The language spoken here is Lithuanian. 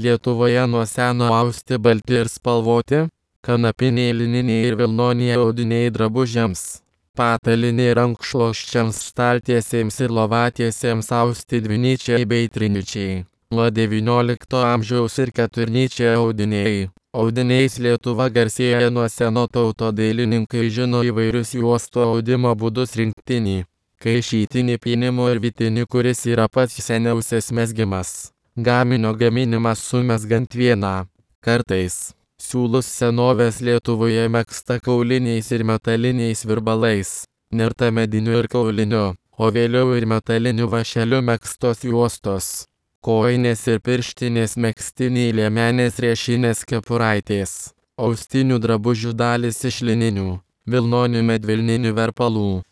Lietuvoje nuo seno austi balti ir spalvoti, kanapiniai, lininiai ir vilnoniai audiniai drabužiams, pataliniai rankšluosčiams, staltiesėms ir lovatiesėms austi dvinyčiai bei trinyčiai. Nuo XIX amžiaus ir keturnyčiai audiniai. Audiniais Lietuva garsėja nuo seno, tautodailininkai žino įvairius juostų audimo būdus: rinktinį, kaišytinį, pynimo ir vytinį, kuris yra pats seniausias mezgimas. Gaminio gaminimas sumezgant vieną. Kartais siūlus senovės Lietuvoje megzta kauliniais ir metaliniais virbalais, nerta mediniu ir kauliniu, o vėliau ir metaliniu vąšeliu megztos juostos. Kojinės ir pirštinės, megztiniai, liemenės, riešinės, kepuraitės. Austinių drabužių dalys iš lininių, vilnonių, medvilninių verpalų.